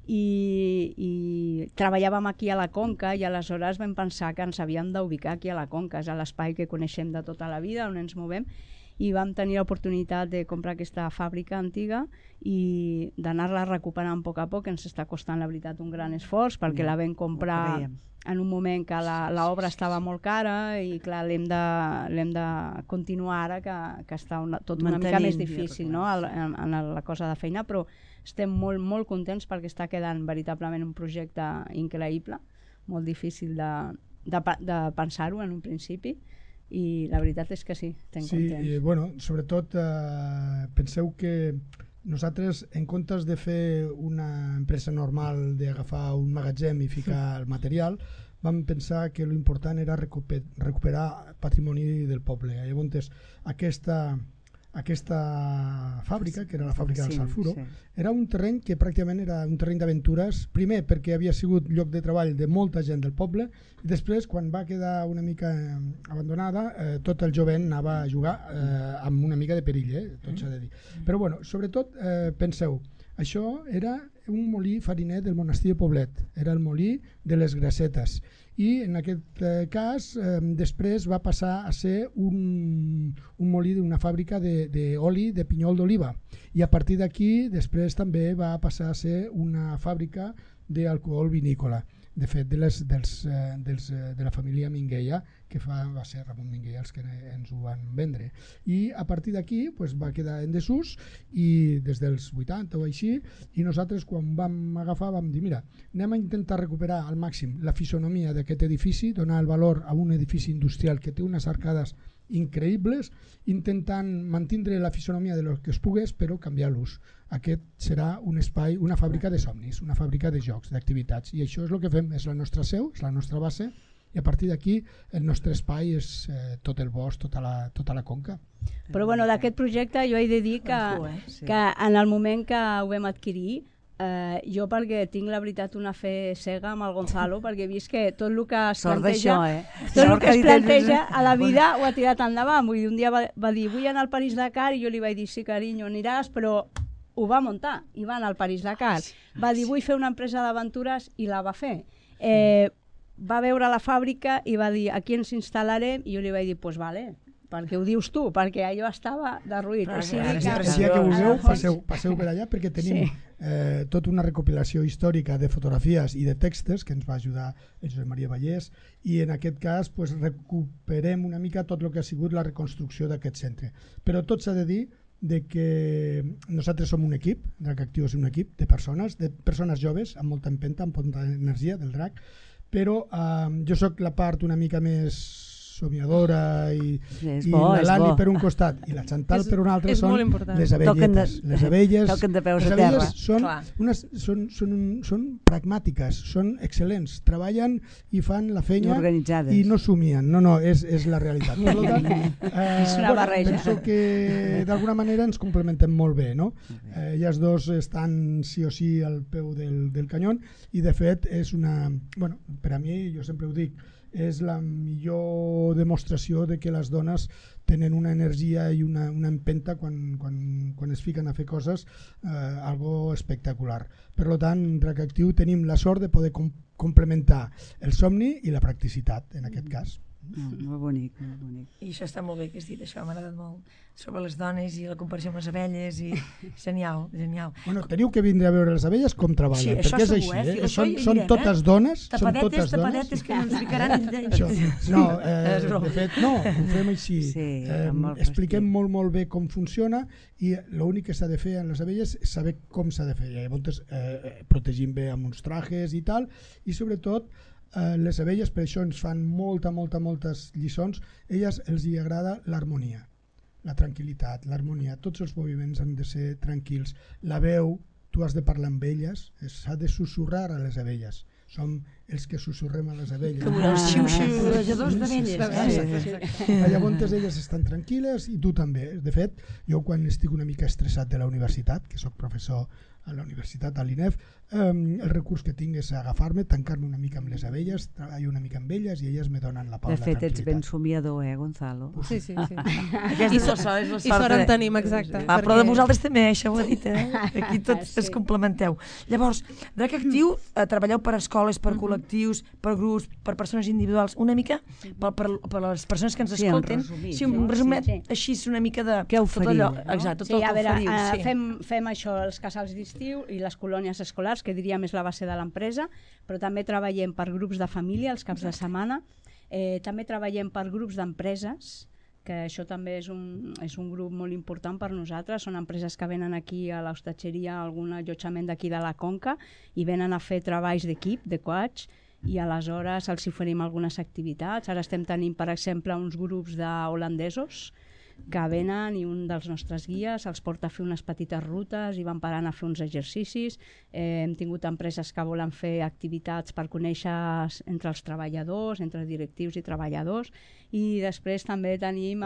i treballàvem aquí a la Conca i aleshores vam pensar que ens havíem d'ubicar aquí a la Conca, és l'espai que coneixem de tota la vida, on ens movem, i vam tenir l'oportunitat de comprar aquesta fàbrica antiga i d'anar-la recuperant a poc, ens està costant, la veritat, un gran esforç, perquè la vam comprar en un moment que l'obra estava molt cara i clar, l'hem de continuar ara que està tot una mica més difícil, no? en la cosa de feina, però estem molt contents perquè està quedant veritablement un projecte increïble, molt difícil de pensar-ho en un principi, i la veritat és que sí, estem contents. Sí, bueno, sobretot penseu que nosaltres, en comptes de fer una empresa normal d'agafar un magatzem i ficar el material, vam pensar que l'important era recuperar patrimoni del poble. Llavors, aquesta fàbrica, que era la fàbrica del Salfuro, era un terreny que pràcticament era un terreny d'aventures, primer perquè havia sigut lloc de treball de molta gent del poble, i després, quan va quedar una mica abandonada, tot el jovent anava a jugar amb una mica de perill, tot s'ha de dir. Però bueno, sobretot, penseu, això era un molí fariner del monestir de Poblet, era el molí de les Grassetes, i en aquest cas després va passar a ser un molí d'una fàbrica d'oli de pinyol d'oliva, i a partir d'aquí després també va passar a ser una fàbrica d'alcohol vinícola, de fet de la família Minguella, que va ser Ramon Minguella els que ens ho van vendre, i a partir d'aquí va quedar en desús i des dels 80 o així, i nosaltres quan vam agafar vam dir, mira, anem a intentar recuperar al màxim la fisonomia d'aquest edifici, donar el valor a un edifici industrial que té unes arcades increïbles, intentant mantindre la fisonomia de lo que es pogués, però canviar l'ús. Aquest serà un espai, una fàbrica de somnis, una fàbrica de jocs, d'activitats, i això és el que fem, és la nostra seu, és la nostra base, i a partir d'aquí el nostre espai és tot el bosc, tota la conca. Però bueno, d'aquest projecte jo he de dir que en el moment que ho vam adquirir, jo perquè tinc la veritat una fe cega amb el Gonzalo, perquè he vist que tot el que es planteja a la vida ho ha tirat endavant. Vull dir, un dia va dir vull anar al París-Dakar i jo li vaig dir sí carinyo aniràs, però ho va muntar i va anar al París-Dakar. Va dir vull fer una empresa d'aventures i la va fer. Va veure la fàbrica i va dir aquí ens instal·larem, i jo li vaig dir doncs vale, perquè ho dius tu, perquè allò estava derruït. Si que vulgueu, passeu per allà, perquè tenim tota una recopilació històrica de fotografies i de textos que ens va ajudar el Josep Maria Vallès, i en aquest cas recuperem una mica tot el que ha sigut la reconstrucció d'aquest centre. Però tot s'ha de dir que nosaltres som un equip, Drac Actiu és un equip de persones joves amb molta empenta, amb molta energia del Drac, però jo sóc la part una mica més somiadora i l'Ani per un costat i la Chantal per un altre són les abelletes. Les abelles són pragmàtiques, són excel·lents, treballen i fan la feina i no somien. No, és la realitat. Per tant, penso que d'alguna manera ens complementem molt bé. Elles dos estan sí o sí al peu del canyón, i de fet és una... Per a mi, jo sempre ho dic, és la millor demostració de que les dones tenen una energia i una empenta quan es fiquen a fer coses, algo espectacular. Per tant, Drac Actiu tenim la sort de poder complementar el somni i la practicitat, en aquest cas. Molt bonic, molt bonic. I això està molt bé que has dit, això m'ha agradat molt, sobre les dones i la comparació amb les abelles, i genial, genial. Teniu que vindre a veure les abelles com treballen, perquè és així, són totes dones, tapadetes que no ens ficaran no, de fet no, ho fem així, expliquem molt bé com funciona, i l'únic que s'ha de fer en les abelles és saber com s'ha de fer, llavors protegim bé amb uns trajes i tal, i sobretot les abelles, per això ens fan moltes lliçons, elles els hi agrada l'harmonia, la tranquil·litat, l'harmonia, tots els moviments han de ser tranquils, la veu, tu has de parlar amb elles, s'ha de susurrar a les abelles, som els que susurrem a les abelles. Com els xiu-xiu-rejadors d'abelles. Llavors elles estan tranquil·les i tu també. De fet, jo quan estic una mica estressat de la universitat, que soc professor a la universitat, a l'INEF, el recurs que tinc és agafar-me, tancar-me una mica amb les abelles, treballar una mica amb elles i elles me donen la pau, la tranquil·litat. De fet, ets ben somiador, Gonzalo? Sí. I sort en tenim, exacte. Però de vosaltres també, això ho he dit, aquí tots es complementeu. Llavors, Drac Actiu, treballeu per escoles, per col·lectius, per grups, per persones individuals, una mica per les persones que ens escolten. Sí, un resumet així una mica de... Què oferiu? Exacte, tot el que oferiu. Fem això, els casals d'estiu i les colònies escolars, que diríem és la base de l'empresa, però també treballem per grups de família els caps de setmana, també treballem per grups d'empreses, que això també és un grup molt important per nosaltres, són empreses que venen aquí a l'hostatgeria, a algun allotjament d'aquí de la Conca, i venen a fer treballs d'equip, de coach, i aleshores els oferim algunes activitats. Ara estem tenint, per exemple, uns grups d'holandesos que venen i un dels nostres guies els porta a fer unes petites rutes i van parant a fer uns exercicis. Hem tingut empreses que volen fer activitats per conèixer entre els treballadors, entre directius i treballadors, i després també tenim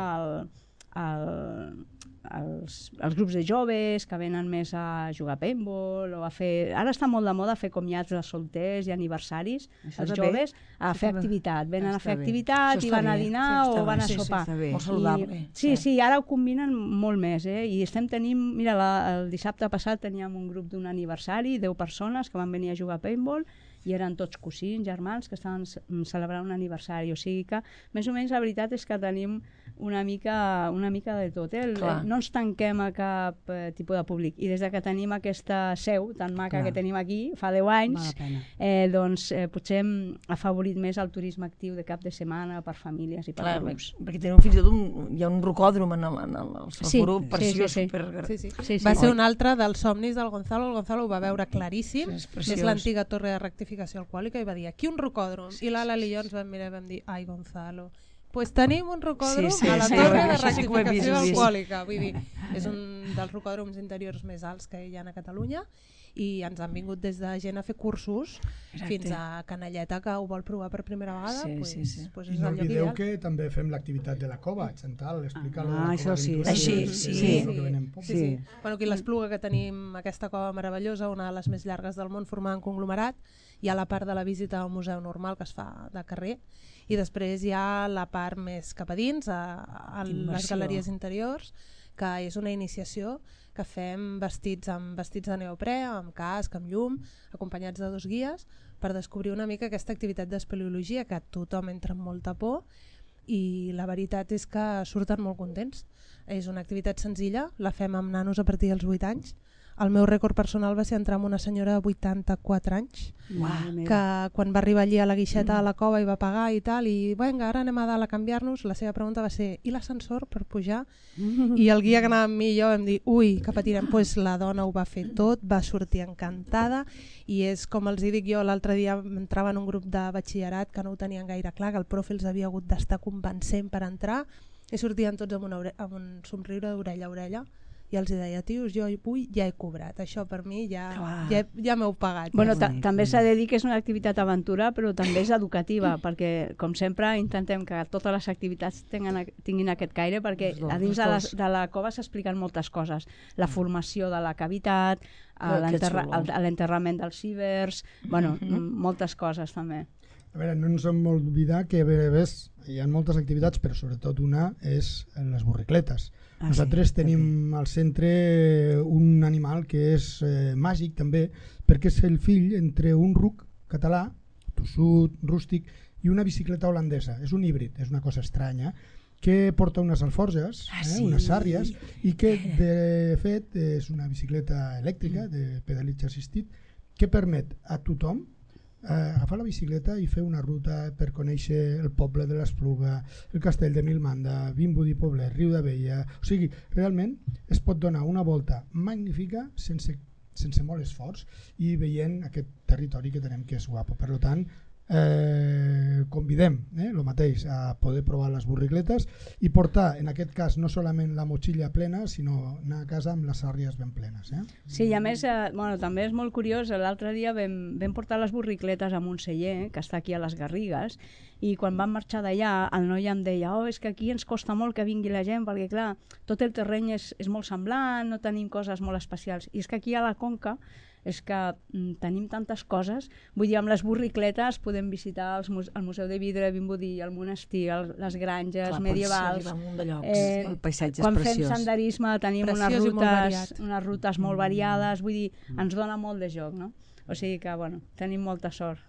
els grups de joves que venen més a jugar a paintball o a fer... Ara està molt de moda fer comiats de solters i aniversaris, els joves, a fer activitat. Venen a fer activitat i van a dinar o van a sopar. Molt saludable. Sí, ara ho combinen molt més, i estem tenint... Mira, el dissabte passat teníem un grup d'un aniversari, 10 persones que van venir a jugar a paintball i eren tots cosins, germans, que estaven celebrant un aniversari. O sigui que, més o menys, la veritat és que tenim una mica de tot. No ens tanquem a cap tipus de públic. I des que tenim aquesta seu tan maca que tenim aquí, fa 10 anys, doncs potser hem afavorit més el turisme actiu de cap de setmana per famílies i per grups. Perquè tenim fins i tot hi ha un rocòdrom en el grup, preciós. Va ser un altre dels somnis del Gonzalo. El Gonzalo ho va veure claríssim. És l'antiga torre de rectificació alcohòlica i va dir, aquí un rocòdrom. I l'Ala i jo ens vam mirar i vam dir, ai Gonzalo, pues tenim un rocòdrom a la torre de rectificació alcohòlica. Vull dir, és un dels rocòdroms interiors més alts que hi ha a Catalunya i ens han vingut des de gent a fer cursos fins a Canalleta que ho vol provar per primera vegada. I no oblideu que també fem l'activitat de la cova, Chantal, explica-lo. Això sí. Bueno, aquí a l'Espluga, que tenim aquesta cova meravellosa, una de les més llargues del món, formada en conglomerat, hi ha la part de la visita al museu normal que es fa de carrer i després hi ha la part més cap a dins, a les galeries interiors, que és una iniciació que fem vestits de neoprè, amb casc, amb llum, acompanyats de 2 guies, per descobrir una mica aquesta activitat d'espeleologia que tothom entra amb molta por i la veritat és que surten molt contents. És una activitat senzilla, la fem amb nanos a partir dels 8 anys. El meu rècord personal va ser entrar amb una senyora de 84 anys, que quan va arribar allí a la guixeta de la cova i va pagar i tal, i vinga, ara anem a dalt a canviar-nos, la seva pregunta va ser, i l'ascensor per pujar? I el guia que anava amb mi i jo vam dir, ui, que patirem. Pues la dona ho va fer tot, va sortir encantada, i és com els dic jo, l'altre dia entrava en un grup de batxillerat que no ho tenien gaire clar, que el profe els havia hagut d'estar convencent per entrar, i sortien tots amb un somriure d'orella a orella, i els deia, tios, jo avui ja he cobrat, això per mi ja m'heu pagat. Bueno, també s'ha de dir que és una activitat aventura, però també és educativa, perquè, com sempre, intentem que totes les activitats tinguin aquest caire, perquè a dins de la cova s'expliquen moltes coses. La formació de la cavitat, l'enterrament dels cibers, bueno, moltes coses també. A veure, no ens hem d'oblidar que hi ha moltes activitats, però sobretot una és les borricletes. Nosaltres tenim al centre un animal que és màgic també, perquè és el fill entre un ruc català, tossut, rústic, i una bicicleta holandesa. És un híbrid, és una cosa estranya, que porta unes alforges, unes sàrries, i que de fet és una bicicleta elèctrica de pedalatge assistit que permet a tothom agafar la bicicleta i fer una ruta per conèixer el poble de l'Espluga, el castell de Milmanda, Vimbodí Poblet, Riu d'Abella. O sigui, realment es pot donar una volta magnífica sense molt esforç i veient aquest territori que tenem que és guapo. Per tant, convidem el mateix a poder provar les borricletes i portar, en aquest cas, no solament la motxilla plena, sinó anar a casa amb les sàrries ben plenes. Sí, i a més, també és molt curiós, l'altre dia vam portar les borricletes a Montseller, que està aquí a les Garrigues, i quan vam marxar d'allà, el noi em deia, és que aquí ens costa molt que vingui la gent, perquè clar, tot el terreny és molt semblant, no tenim coses molt especials, i és que aquí a la Conca és que tenim tantes coses, vull dir, amb les borricletes podem visitar el Museu de Vidre de Vimbodí, el monestir, les granges medievals. El paisatge és quan preciós. fem senderisme tenim unes rutes molt variades, vull dir, ens dona molt de joc, no? O sigui que, bueno, tenim molta sort.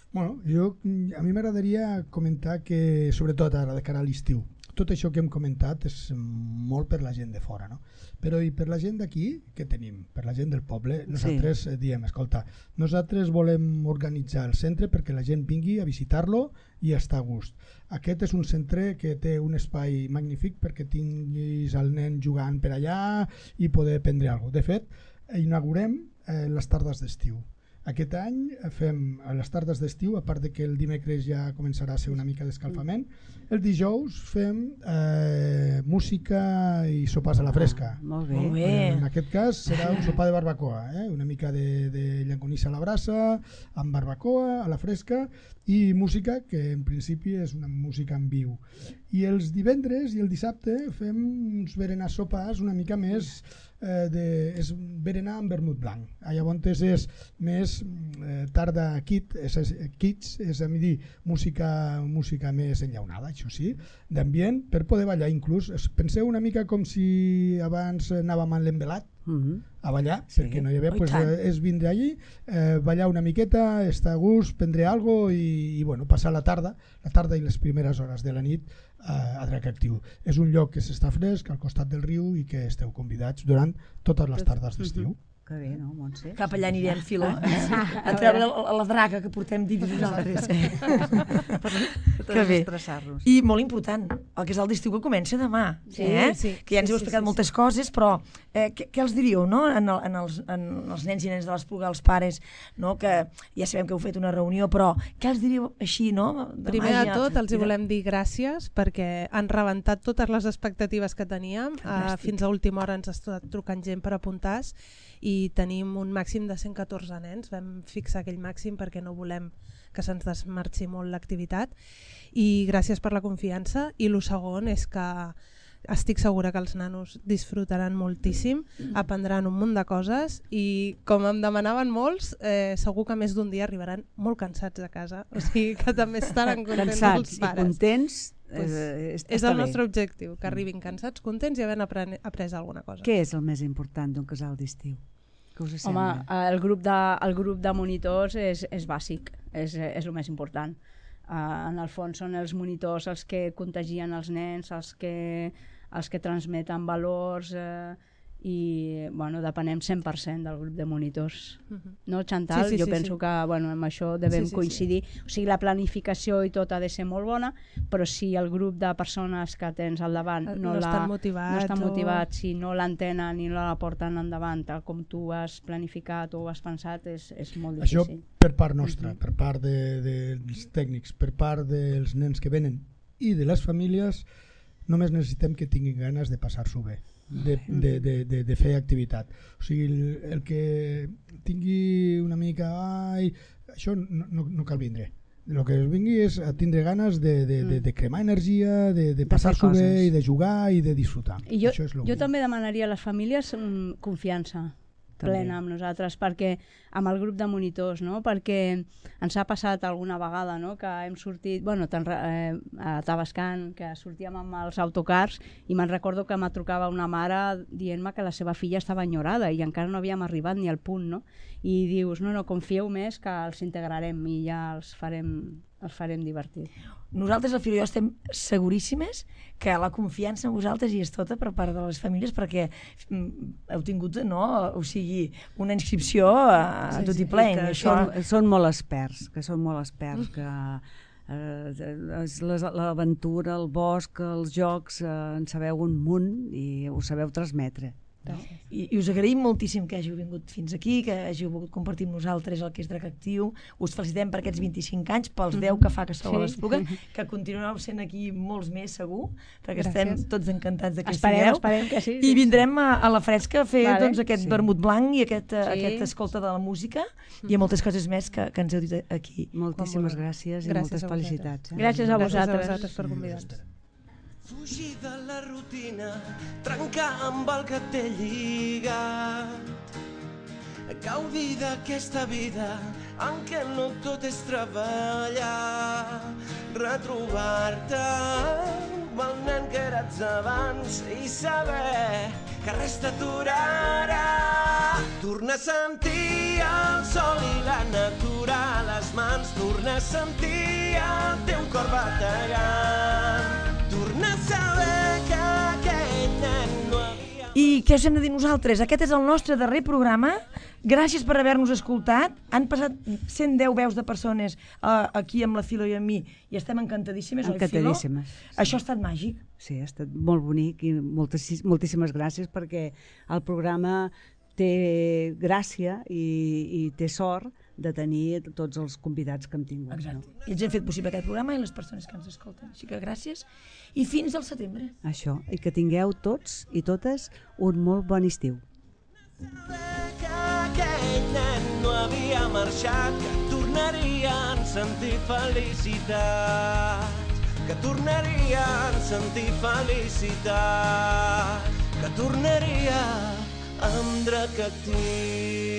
Bueno, a mi m'agradaria comentar que, sobretot ara, de cara a l'estiu, tot això que hem comentat és molt per la gent de fora, no? Però i per la gent d'aquí, què tenim? Per la gent del poble, nosaltres diem, escolta, nosaltres volem organitzar el centre perquè la gent vingui a visitar-lo i estar a gust. Aquest és un centre que té un espai magnífic perquè tinguis el nen jugant per allà i poder aprendre alguna cosa. De fet, inaugurem les tardes d'estiu. Aquest any fem a les tardes d'estiu, a part de que el dimecres ja començarà a ser una mica d'escalfament, el dijous fem música i sopars a la fresca. Molt bé. Molt bé. En aquest cas serà un sopar de barbacoa, una mica de llangonissa a la brasa, amb barbacoa a la fresca i música que en principi és una música en viu. I els divendres i el dissabte fem uns berenars sopars una mica més és berenar amb vermut blanc. Llavors és més tarda kids, és a dir, música més enllaunada, això sí, d'ambient, per poder ballar inclús. Penseu una mica com si abans anàvem a l'embelat, a ballar, perquè no hi havia, és vindre allí, ballar una miqueta, estar a gust, prendre alguna cosa i bueno, passar la tarda i les primeres hores de la nit a Drac Actiu. És un lloc que s'està fresc al costat del riu i que esteu convidats durant totes les tardes d'estiu. Que bé, no, Montse? Cap allà anirem, Filo, a treure la draga que portem dins nosaltres. Que bé. I molt important, el que és el d'estiu que comença demà, que ja ens heu explicat moltes coses, però què els diríeu, no? En els nens i nenes de l'Espluga, els pares, que ja sabem que heu fet una reunió, però què els diríeu així, no? Primer de tot, els hi volem dir gràcies perquè han rebentat totes les expectatives que teníem. Fins a última hora ens ha estat trucant gent per apuntar-se i tenim un màxim de 114 nens. Vam fixar aquell màxim perquè no volem que se'ns desmarxi molt l'activitat, i gràcies per la confiança. I el segon és que estic segura que els nanos disfrutaran moltíssim, aprendran un munt de coses i, com em demanaven molts, segur que més d'un dia arribaran molt cansats a casa, o sigui que també estaran contents els pares. Cansats i contents. És el nostre objectiu, que arribin cansats, contents i havent après alguna cosa. Què és el més important d'un casal d'estiu? Home, el grup de monitors és bàsic, és el més important. En el fons són els monitors els que contagien els nens, els que transmeten valors, i depenem 100% del grup de monitors. No, Chantal? Jo penso que amb això devem coincidir. O sigui, la planificació i tot ha de ser molt bona, però si el grup de persones que tens al davant no estan motivats, si no l'entenen i no la porten endavant tal com tu has planificat o has pensat, és molt difícil. Això per part nostra, per part dels tècnics, per part dels nens que venen i de les famílies, només necessitem que tinguin ganes de passar-s'ho bé, de fer activitat. O sigui, el que tingui una mica això no cal vindre. El que es vingui és a tindre ganes de cremar energia, de passar-s'ho bé i de jugar i de disfrutar. I jo també demanaria a les famílies confiança plena amb nosaltres, perquè amb el grup de monitors, perquè ens ha passat alguna vegada que hem sortit a Tavascan, que sortíem amb els autocars, i me'n recordo que me trucava una mare dient-me que la seva filla estava enyorada i encara no havíem arribat ni al punt, i dius, no, confieu més que els integrarem i ja els farem divertir. Nosaltres, el Filo i jo, estem seguríssimes que la confiança en vosaltres hi és tota per part de les famílies, perquè heu tingut, una inscripció a tot i ple. Són molt experts, que l'aventura, el bosc, els jocs, en sabeu un munt i ho sabeu transmetre. I us agraïm moltíssim que hàgiu vingut fins aquí, que hàgiu volgut compartir amb nosaltres el que és Drac Actiu. Us felicitem per aquests 25 anys, pels 10 que fa que sou a l'Espluga, que continuareu sent aquí molts més segur, perquè estem tots encantats de que sigueu. Esperem que sí. I vindrem a la fresca a fer aquest vermut blanc i aquest escolta de la música i moltes coses més que ens heu dit aquí. Moltíssimes gràcies i moltes felicitats. Gràcies a vosaltres per convidar-nos. Fugir de la rutina, trencar amb el que t'he lligat, gaudir d'aquesta vida en què no tot és treballar, retrobar-te amb el nen que eres abans i saber que res t'aturarà. Tornar a sentir el sol i la natura a les mans, tornar a sentir el teu cor bategant, tornar a saber que aquell nen no havia... I què us hem de dir nosaltres? Aquest és el nostre darrer programa. Gràcies per haver-nos escoltat. Han passat 110 veus de persones aquí amb la Filo i amb mi i estem encantadíssimes, oi, Filo? Encantadíssimes. Això ha estat màgic. Sí, ha estat molt bonic i moltíssimes gràcies, perquè el programa té gràcia i té sort de tenir tots els convidats que hem tingut. Exacte. No? I ells han fet possible aquest programa i les persones que ens escolten. Així que gràcies i fins al setembre. Això, i que tingueu tots i totes un molt bon estiu. Que aquell nen no havia marxat, que tornarien a sentir felicitats, que tornarien a sentir felicitats, que tornaria amb drac actiu.